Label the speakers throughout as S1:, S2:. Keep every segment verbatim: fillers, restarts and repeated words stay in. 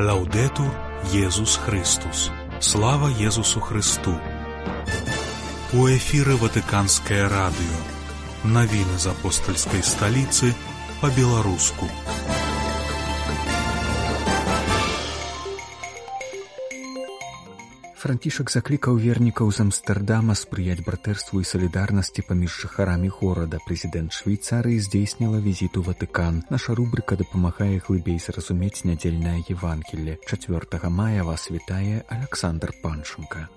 S1: Лаўдэтур Езус Христус. Слава Езусу Христу. У эфіры Ватыканскае радыё. Навіны з апостальскай сталіцы па-беларуску.
S2: Францішак заклікаў вернікаў з Амстэрдама спрыяць братэрству і салідарнасці паміж жыхарамі горада. Прэзідэнт Швейцарыі здзейсніла візіт у Ватыкан. Наша рубрыка дапамагае глыбей зразумець нядзельнае Евангелле. чацвёртага мая вас вітае Аляксандр Панченка.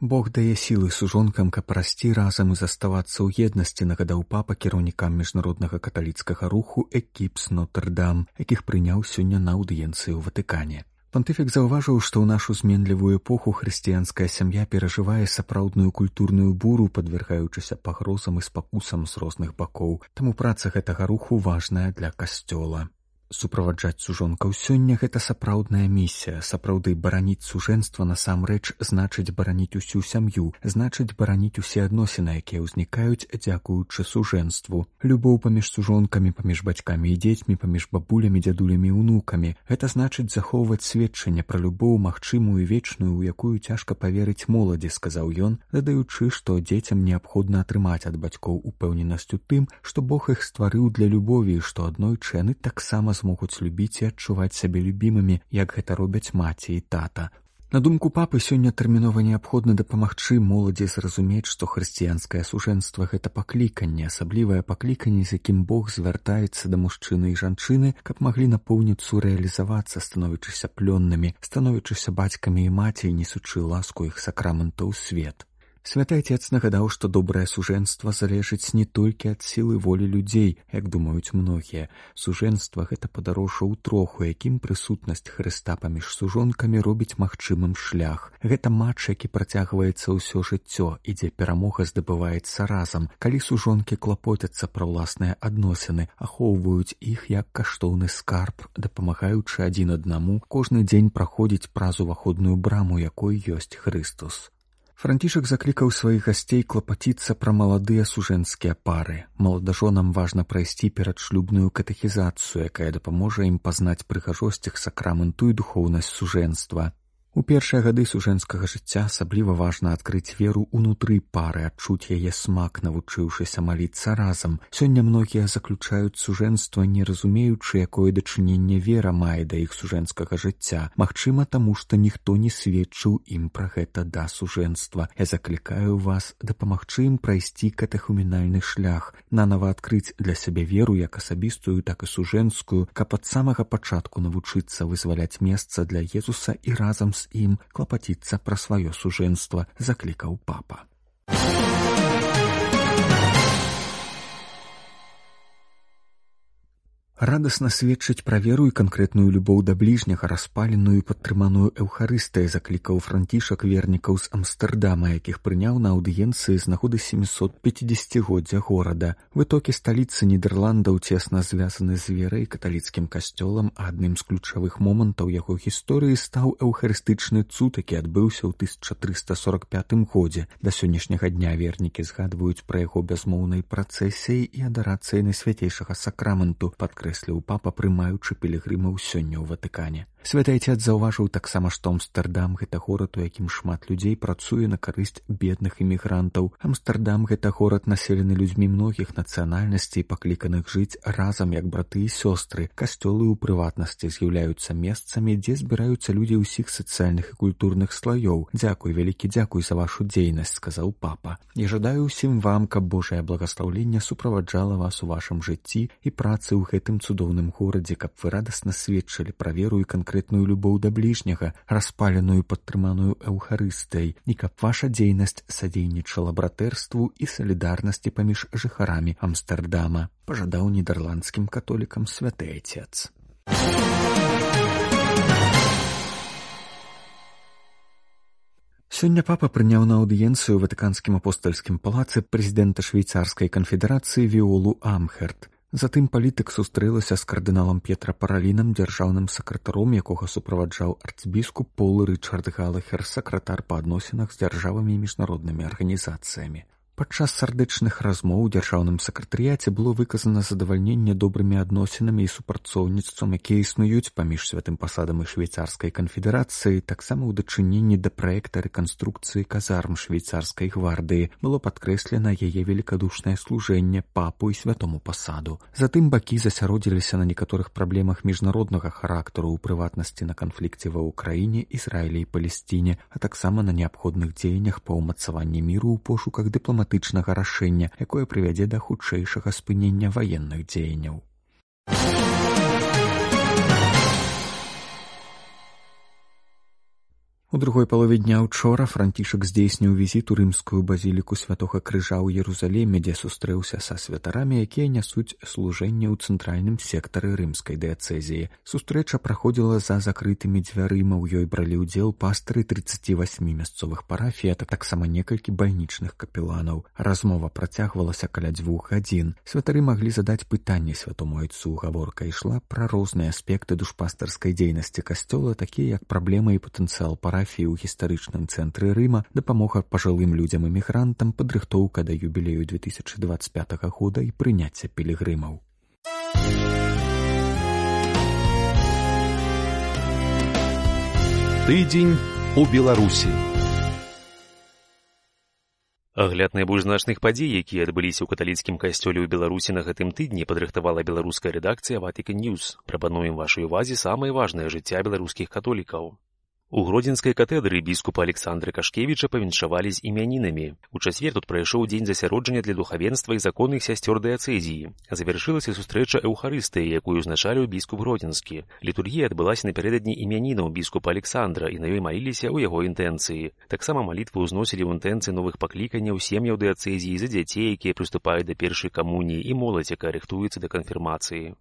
S2: Бог дае сілы сужонкам, каб расці разам і заставацца ў еднасці, нагадаў папа кіраўнікам міжнароднага каталіцкага руху «Экіпс Нотр-Дам», якіх прыняў сёння на аўдыенцыі ў Ватыкане. Пантыфік заўважыў, што ў нашу зменлівую эпоху хрысціянская сям'я перажывае сапраўдную культурную буру, падвяргаючыся пагрозам і спакусам з розных бакоў. Таму праца гэтага руху важная для касцёла. Суправаджаць сужонкаў сёння — гэта сапраўдная місія. Сапраўды бараніць сужэнства насамрэч значыць бараніць усю сям'ю, значыць бараніць усе адносіны, якія ўзнікаюць дзякуючы сужэнству. Любоў паміж сужонкамі, паміж бацькамі і дзецьмі, паміж бабулямі, дзядулямі і ўнукамі. Гэта значыць захоўваць сведчанне пра любоў магчымую і вечную, у якую цяжка паверыць моладзі, сказаў ён, дадаючы, што дзецям неабходна атрымаць ад бацькоў упэўненасць у тым, што Бог іх стварыў для любові, і што аднойчы яны таксама могуць любіць і адчуваць сябе любімымі, як гэта робяць маці і тата. На думку папы, сёння тэрмінова неабходна дапамагчы моладзі зразумець, што хрысціянскае сужэнства — гэта пакліканне, асаблівае пакліканне, з якім Бог звяртаецца да мужчыны і жанчыны, каб маглі напоўніцу рэалізавацца, становячыся плённымі, становячыся бацькамі і маці, несучы ласку іх сакраментаў у свет. Святы Отец нагадаў, што добрае сужэнства залежыць не толькі ад сілы волі людзей, як думаюць многія. Сужэнства — гэта падарожжа ў трох, у якім прысутнасць Хрыста паміж сужонкамі робіць магчымым шлях. Гэта матч, які працягваецца ўсё жыццё, і дзе перамога здабываецца разам, калі сужонкі клапоцяцца пра ўласныя адносіны, ахоўваюць іх як каштоўны скарб, дапамагаючы адзін аднаму кожны дзень праходзіць праз уваходную браму, якой ёсць Хрыстус. Францішак заклікаў сваіх гасцей клапаціцца пра маладыя сужэнскія пары. Маладажонам важна прайсці перадшлюбную катэхізацыю, якая дапаможа ім пазнаць прыгажосць іх сакраменту і духоўнасць сужэнства. У першыя гады сужэнскага жыцця асабліва важна адкрыць веру ўнутры пары, адчуць яе смак, навучыўшыся маліцца разам. Сёння многія заключаюць сужэнства, не разумеючы, якое дачыненне вера мае да іх сужэнскага жыцця. Магчыма, таму што ніхто не сведчыў ім пра гэта да сужэнства. Я заклікаю вас дапамагчы ім прайсці катэхуменальны шлях, нанава адкрыць для сябе веру як асабістую, так і сужэнскую, каб ад самага пачатку навучыцца вызваляць месца для Езуса і разам з ім клапаціцца пра сваё сужэнства, заклікаў папа. Радасна сведчыць пра веру і канкрэтную любоў да бліжняга, распаленую і падтрыманую Эўхарыстыяй, заклікаў Францішак вернікаў з Амстэрдама, якіх прыняў на аўдыенцыі з нагоды сямісот пяцідзесяцігоддзя горада. Вытокі сталіцы Нідерландаў цесна звязаны з верай, каталіцкім касцёлам, а адным з ключавых момантаў яго гісторыі стаў эўхарыстычны цуд, які адбыўся ў тысяча трыста сорак пятым годзе. Да сённяшняга дня вернікі згадваюць пра яго бязмоўнай працэсіяй і адарацыяй найсвяцейшага сакраменту, падкрэсліў папа, прымаючы пілігрымаў сёння ў Ватыкане. Святы Отец заўважыў таксама, што Амстэрдам — гэта горад, у якім шмат людзей працуе на карысць бедных імігрантаў. Амстэрдам — гэта горад, населены людзьмі многіх нацыянальнасцей, пакліканых жыць разам як браты і сёстры. Касцёлы ў прыватнасці з'яўляюцца месцамі, дзе збіраюцца людзі ўсіх сацыяльных і культурных слаёў. Дзякуй, вялікі дзякуй за вашу дзейнасць, сказаў папа. Я жадаю ўсім вам, каб Божае благаслаўленне суправаджала вас у вашым жыцці і працы ў гэтым цудоўным горадзе, каб вы радасна сведчылі пра веру і канкрэтную любоў да бліжняга, распаленую падтрыманую Эўхарыстыяй, і каб ваша дзейнасць садзейнічала братэрству і салідарнасці паміж жыхарамі Амстэрдама, пажадаў нідэрландскім католікам Святы Отец. Сёння папа прыняў на аўдыенцыю ў Ватыканскім апостальскім палацы прэзідэнта Швейцарскай канфедэрацыі Віолу Амхерт. Затым палітык сустрэлася з кардыналам П'етра Паралінам, дзяржаўным сакратаром, якога суправаджаў арцбіскуп Пол Рычард Галахер, сакратар па адносінах з дзяржавамі і міжнароднымі арганізацыямі. Падчас сардэчных размоў у дзяржаўным сакратарыяце было выказана задавальненне добрымі адносінамі і супрацоўніцтвам, якія існуюць паміж святым пасадам і швейцарскай канфедэрацыяй, таксама ў дачыненні да праекта рэканструкцыі казарм швейцарскай гвардыі было падкрэслена яе великадушнае служэнне папу і святому пасаду. Затым бакі засяродзіліся на некаторых праблемах міжнароднага характару, у прыватнасці на канфлікце ва ўкраіне, Ізраілі і Палесціне, а таксама на неабходных дзеяннях па ўмацаванні міру ў пошуках дыпламатычнага рашэння, якое прывядзе да хутчэйшага спынення ваенных дзеянняў. У другой палове дня учора Францішак здзейсніў візіт у рымскую базіліку Святога Крыжа ў Ерусаліме, дзе сустрэўся са святарамі, якія нясуць служэнне ў цэнтральным сектары рымскай дыяцэзіі. Сустрэча праходзіла за закрытымі дзвярыма, у ёй бралі ўдзел пастыры трыццаці васьмі мясцовых парафій, а таксама некалькі бальнічных капеланаў. Размова працягвалася каля дзвюх гадзін. Святары маглі задаць пытанні святому айцу. Гаворка ішла пра розныя аспекты душпастарскай дзейнасці касцёла, такія як праблемы і патэнцыял парафій ў гістарычным цэнтры Рыма, дапамога пажылым людзям-эмігрантам, падрыхтоўка да юбілею две тысячы дваццаць пятага года і прыняцце пілігрымаў.
S3: Тыдзень у Беларусі.
S4: Агляд найбольш значных падзей, якія адбыліся ў каталіцкім касцёле ў Беларусі на гэтым тыдні, падрыхтавала беларуская рэдакцыя Vatican News. Прапануем вашай увазе самае важнае жыцця беларускіх католікаў. У Гродзенскай катедры біскупа Александра Кашкевіча павіншавалі з імянінамі. У чацвер тут прайшоў дзень засяроджання для духавенства і законных сясцёр дыяцэзіі. Завяршылася сустрэча эўхарыстыі, якую узначаліў біскуп Гродзенскі. Літургія адбылася напярэдадні імянінаў біскупа Александра, і на ёй маліліся ў яго інтэнцыі. Таксама малітвы ўзносілі ў інтэнцыі новых пакліканняў сем'яў дыяцэзіі за дзяцей, якія прыступаюць да першай камуніі, і моладзь, якая рыхтуецца да канфірмацыі.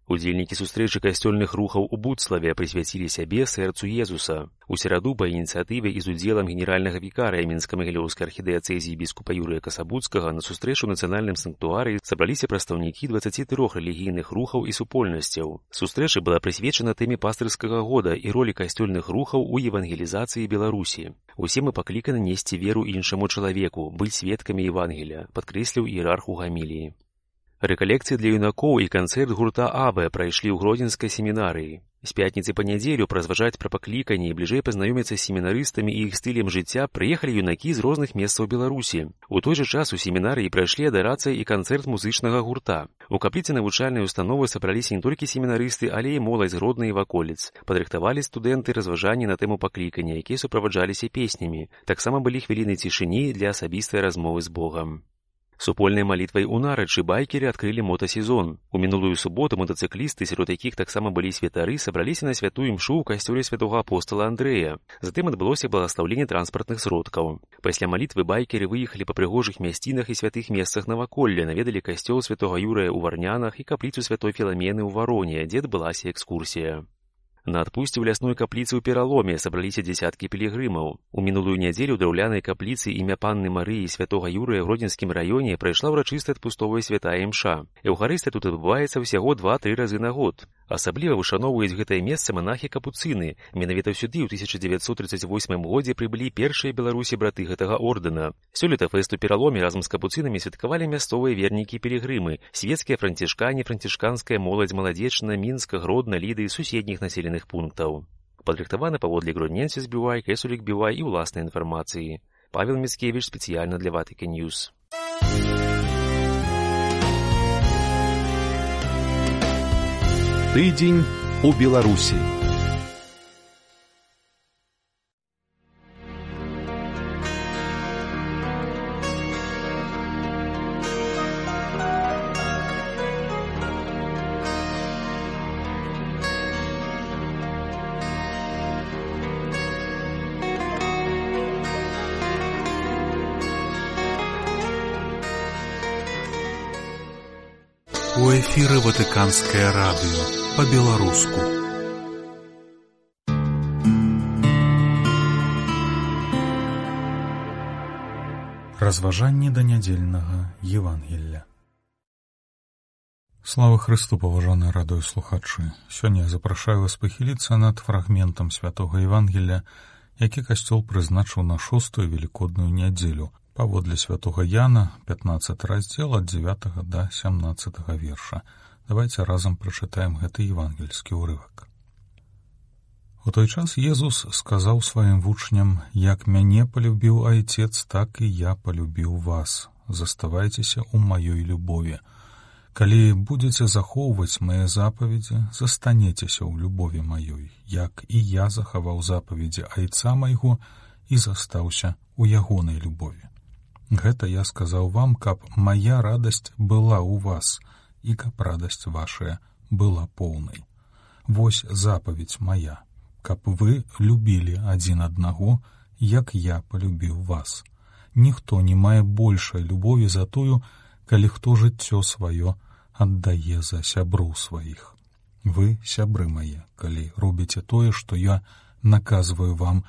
S4: Удзельнікі сустрэчы касцёльных рухаў у Буцлаве прысвяцілі сябе сэрцу Езуса. У сераду па ініцыятыве і з удзелам генеральнага вікарыя Мінска-Магілёўскай архідыяцэзіі біскупа Юрыя Касабуцкага на сустрэчу ў нацыянальным санктуарыі сабраліся прадстаўнікі дваццаці трох рэлігійных рухаў і супольнасцяў. Сустрэча была прысвечана тэме пастырскага года і ролі касцёльных рухаў у евангелізацыі Беларусі. Усе мы пакліканы несці веру іншаму чалавеку, быць сведкамі Евангелія, падкрэсліў іерарх у гаміліі. Рэкалекцыі для юнакоў і канцэрт гурта Абе прайшлі ў Гродзенскай семінарыі. З пятніцы па нядзелю празважаць пра пакліканні і бліжэй пазнаёміцца з семінарыстамі і іх стылем жыцця прыехалі юнакі з розных месцаў Беларусі. У той жа час у семінарыі прайшлі адарацыя і канцэрт музычнага гурта. У капліцы навучальнай установы сабраліся не толькі семінарысты, але і моладзь з Гродна і ваколіц. Падрыхтавалі студэнты разважанні на тэму паклікання, якія суправаджаліся песнямі. Таксама былі хвіліны цішыні для асабістай размовы з Богам. Супольнай малітвай у нарачы байкеры адкрылі мотасезон. У мінулую суботу мотацыклісты, сярод якіх таксама былі святары, сабраліся на святую імшу ў касцёле святога апостала Андрэя. Затым адбылося благаслаўленне транспартных сродкаў. Пасля малітвы байкеры выехалі па прыгожых мясцінах і святых месцах наваколля, наведалі касцёл святога Юрыя ў Варнянах і капліцу святой Філамены ў Вароне, дзе адбылася экскурсія. На адпусце ў лясной капліцы ў Пераломе сабраліся дзясяткі пілігрымаў. У мінулую нядзелю ў драўлянай капліцы імя панны Марыі святога Юрыя ў Гродзенскім раёне прайшла ўрачыстая адпустовая святая імша. Еўхарыстыя тут адбываецца ўсяго два-тры разы на год. Асабліва вышаноўваюць гэтае месца манахі-капуцыны. Менавіта сюды ў тысяча дзевяцьсот трыццаць восьмым годзе прыбылі першыя Беларусі браты гэтага ордэна. Сёлета фэст у Пераломе разам з капуцынамі святкавалі мясцовыя вернікі-пілігрымы, свецкія францішкане, францішканская моладзь Маладзечна, Мінска, Гродна, Ліды і суседніх населеных пунктаў. Падрыхтаваны паводле Гродненсіс Бівай, Кэсулік Бівай і ўласнай інфармацыі. Павел Міцкевіч спецыяльна для Vatican News.
S3: Тыдзень у Беларусі.
S1: У эфіры Ватыканскае радыё па-беларуску. Разважанні да нядзельнага Евангелля. Слава Христу, паважаныя радыёслухачы! Сёння я запрашаю вас пахіліцца над фрагментам святога Евангелля, які касцёл прызначыў на шостую велікодную нядзелю. Паводле святога Яна, пятнаццаты раздзел ад дзевятага да сямнаццатага верша. Давайте разам прачытаем гэты евангельскі ўрывак. У той час Езус сказаў сваім вучням: «Як мяне палюбіў Айцец, так і я палюбіў вас. Заставайцеся ў маёй любові. Калі будзеце захоўваць мае запаведзі, застанецеся ў любові маёй, як і я захаваў запаведзі Айца майго і застаўся ў ягонай любові. Гэта я сказаў вам, каб мая радасць была ў вас, і каб радасць вашая была поўнай. Вось запаведь моя, каб вы любілі адзін аднаго, як я палюбіў вас. Ніхто не мае большай любові за тую, калі хто жыццё сваё аддае за сяброў сваіх. Вы, сябры мае, калі робіце тое, што я наказваю вам,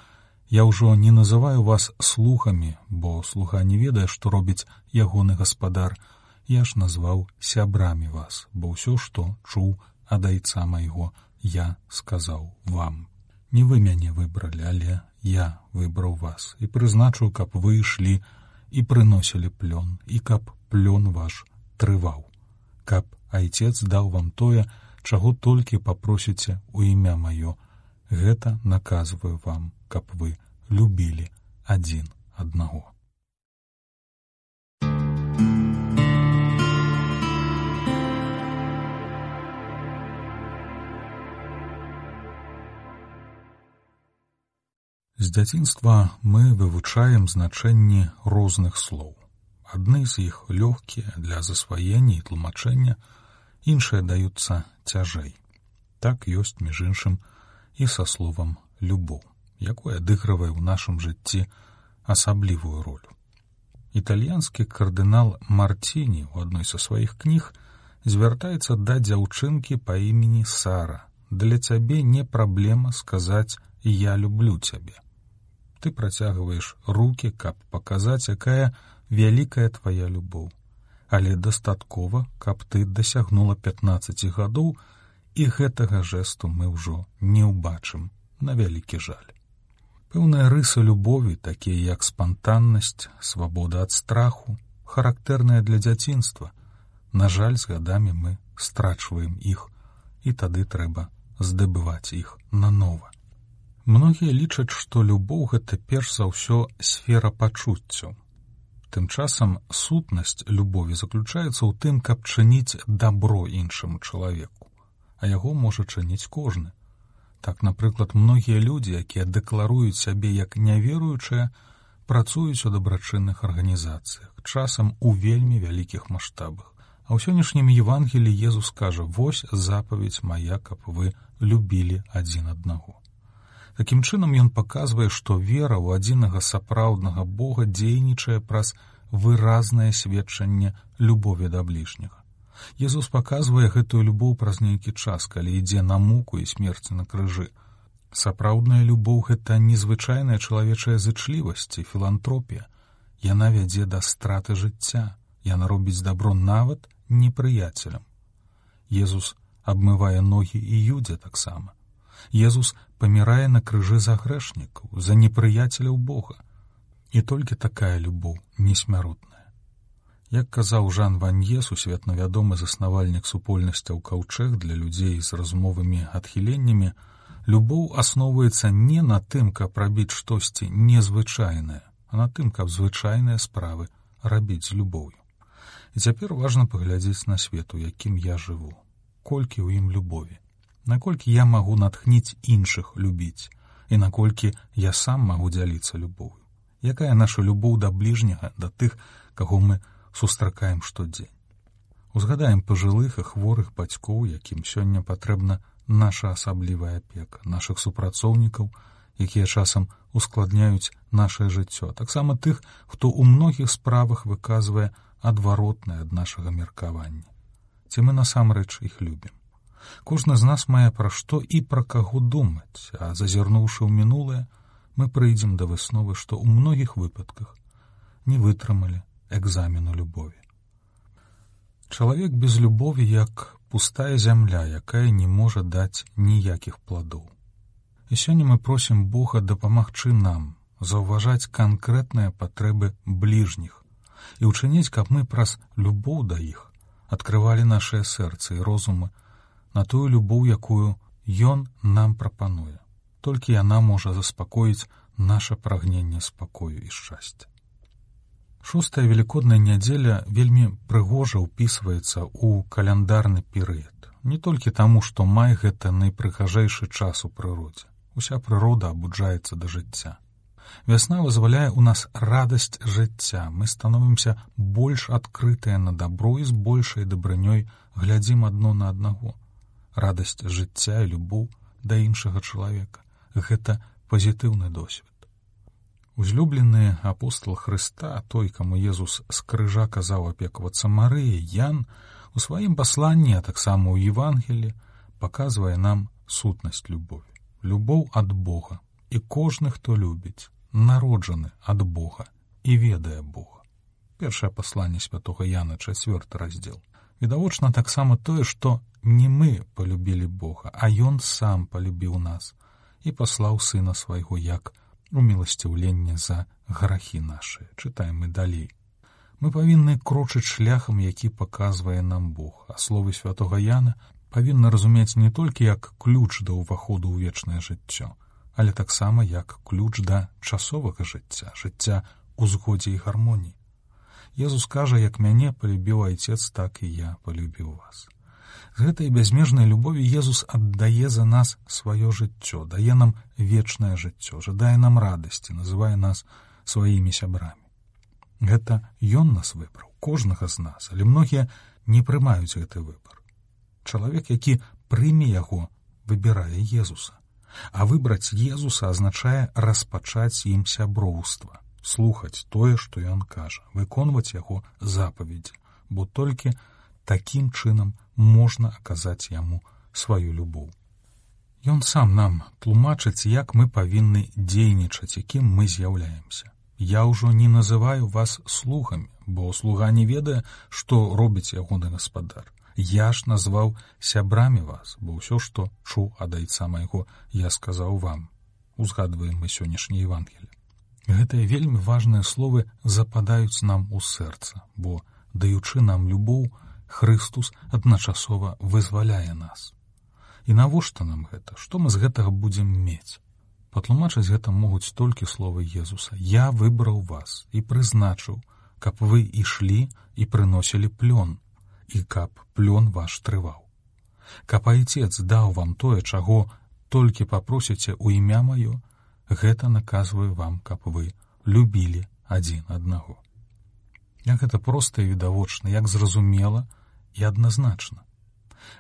S1: я ўжо не называю вас слугамі, бо слуга не ведае, што робіць ягоны гаспадар. Я ж назваў сябрамі вас, бо ўсё, што чуў ад Айца майго, я сказаў вам. Не вы мяне выбралі, але я выбраў вас і прызначыў, каб вы ішлі і прыносілі плён, і каб плён ваш трываў, каб Айцец даў вам тое, чаго толькі папросіце ў імя маё. Гэта наказваю вам, каб вы любілі адзін аднаго». З дзяцінства мы вывучаем значэнні розных слоў. Адны з іх лёгкія для засваення і тлумачэння, іншыя даюцца цяжэй. Так ёсць, між іншым, і са словам «любоў», якое адыгрывае ў нашым жыцці асаблівую ролю. Італьянскі кардынал Мартіні ў адной са сваіх кніг звяртаецца да дзяўчынкі па імені Сара. «Для цябе не праблема сказаць «я люблю цябе». Ты працягваеш рукі, каб паказаць, якая вялікая твая любоў. Але дастаткова, каб ты дасягнула пятнаццаці гадоў, і гэтага жэсту мы ўжо не ўбачым, на вялікі жаль. Пэўныя рысы любові, такія як спантаннасць, свабода ад страху, характэрныя для дзяцінства. На жаль, з гадамі мы страчваем іх, і тады трэба здабываць іх нанова. Многія лічаць, што любоў — гэта перш за ўсё сфера пачуццяў. Тым часам сутнасць любові заключаецца ў тым, каб чыніць дабро іншаму чалавеку, а яго можа чыніць кожны. Так, напрыклад, многія людзі, якія дэкларуюць сябе як няверуючыя, працуюць у дабрачынных арганізацыях, часам у вельмі вялікіх маштабах. А ў сённяшнім Евангеліі Езус кажа: «Вось запаведь мая, каб вы любілі адзін аднаго». Такім чынам ён паказвае, што вера ў адзінага сапраўднага Бога дзейнічае праз выразнае сведчанне любові да бліжняга. Езус паказвае гэтую любоў праз нейкі час, калі ідзе на муку і смерць на крыжы. Сапраўдная любоў — гэта незвычайная чалавечая зычлівасць і філантропія. Яна вядзе да страты жыцця, яна робіць дабро нават непрыяцелям. Езус абмывае ногі і Юдзе таксама. Езус памірае на крыжы за грэшнікаў, за непрыяцеляў Бога. І толькі такая любоў несмяротная. Як казаў Жан Ванье, сусветна вядомы заснавальнік супольнасцяў Каўчэг для людзей з разумовымі адхіленнямі, любоў асноўваецца не на тым, каб рабіць штосьці незвычайнае, а на тым, каб звычайныя справы рабіць з любоўю. І цяпер важна паглядзець на свет, у якім я жыву. Колькі ў ім любові? Наколькі я магу натхніць іншых любіць? І наколькі я сам магу дзяліцца любоўю? Якая наша любоў да бліжняга, да тых, каго мы сустракаем штодзень? Узгадаем пажылых і хворых бацькоў, якім сёння патрэбна наша асаблівая апека, нашых супрацоўнікаў, якія часам ускладняюць нашае жыццё, а таксама тых, хто ў многіх справах выказвае адваротнае ад нашага меркавання. Ці мы насамрэч іх любім? Кожны з нас мае пра што і пра каго думаць, а зазірнуўшы ў мінулае, мы прыйдзем да высновы, што ў многіх выпадках не вытрымалі экзамену любові. Чалавек без любові як пустая зямля, якая не можа даць ніякіх пладоў. І сёння мы просім Бога дапамагчы нам заўважаць канкрэтныя патрэбы бліжніх і ўчыніць, каб мы праз любоў да іх адкрывалі нашыя сэрцы і розумы на тую любоў, якую Ён нам прапануе. Толькі яна можа заспакоіць наша прагненне спакою і шчасця. Шостая велікодная нядзеля вельмі прыгожа ўпісваецца ў каляндарны перыяд. Не толькі таму, што май — гэта найпрыгажэйшы час у прыродзе. Уся прырода абуджаецца да жыцця. Вясна вызваляе ў нас радасць жыцця. Мы становімся больш адкрытыя на дабро і з большай дабрынёй глядзім адно на аднаго. Радасць жыцця і любоў да іншага чалавека — гэта пазітыўны досвед. Узлюблены апостол Хрыста, той, каму Езус з крыжа казаў апекавацца Марыяй, Ян, у сваім пасланні, а таксама ў Евангелі, паказвае нам сутнасць любові. Любоў ад Бога, і кожны, хто любіць, народжаны ад Бога і ведае Бога. Першае пасланне святога Яна, чацвёрты раздзел. Відавочна таксама тое, што не мы полюбілі Бога, а Ён сам полюбіў нас і паслаў Сына свайго як уміласціўленне за грахі нашыя. Чытаем мы далей. Мы павінны крочыць шляхам, які паказвае нам Бог, а словы святога Яна павінны разумець не толькі як ключ да ўваходу ў вечнае жыццё, але таксама як ключ да часовага жыцця, жыцця ў згодзе і гармоніі. Езус кажа, як мяне полюбіў Айцец, так і я полюбіў вас. З гэтай бязмежнай любові Езус аддае за нас сваё жыццё, дае нам вечнае жыццё, жадае нам радасці, называе нас сваімі сябрамі. Гэта Ён нас выбраў, кожнага з нас, але многія не прымаюць гэты выбар. Чалавек, які прыме яго, выбірае Езуса. А выбраць Езуса азначае распачаць ім сяброўства, слухаць тое, што Ён кажа, выконваць яго запаведзі, бо толькі такім чынам можна аказаць яму сваю любоў. Ён сам нам тлумачыць, як мы павінны дзейнічаць, якім мы з'яўляемся. Я ўжо не называю вас слугамі, бо слуга не ведае, што робіць ягоны гаспадар. Я ж назваў сябрамі вас, бо ўсё, што чуў ад Айца майго, я сказаў вам. Узгадваем мы сённяшняе Евангелле. Гэтыя вельмі важныя словы западаюць нам у сэрца, бо, даючы нам любоў, Хрыстус адначасова вызваляе нас. І навошта нам гэта? Што мы з гэтага будзем мець? Патлумачыць гэта могуць толькі словы Езуса. Я выбраў вас і прызначыў, каб вы ішлі і прыносілі плён, і каб плён ваш трываў. Каб Айцец даў вам тое, чаго толькі папросіце ў імя маё, гэта наказваю вам, каб вы любілі адзін аднаго. Як гэта проста і відавочна, як зразумела і адназначна.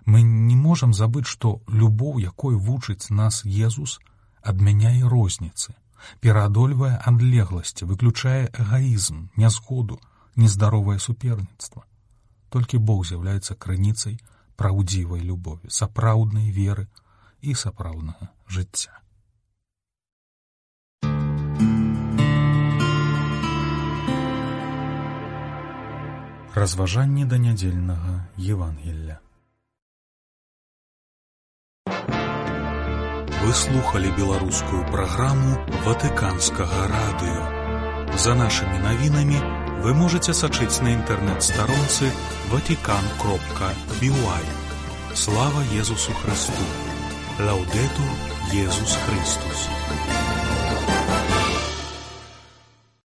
S1: Мы не можам забыць, што любоў, якой вучыць нас Езус, адмяняе розніцы, пераадольвае адлегласці, выключае эгаізм, нязгоду, нездаровае суперніцтва. Толькі Бог з'яўляецца крыніцай праўдзівай любові, сапраўднай веры і сапраўднага жыцця. Разважанні да нядзельнага Евангелля. Вы слухали беларускую праграму Ватыканскага радыё. За нашымі навінамі вы можаце сачыць на інтэрнэт-старонцы ватикан кропка би уай. Слава Езусу Христу! Лаудетур Езус Христус!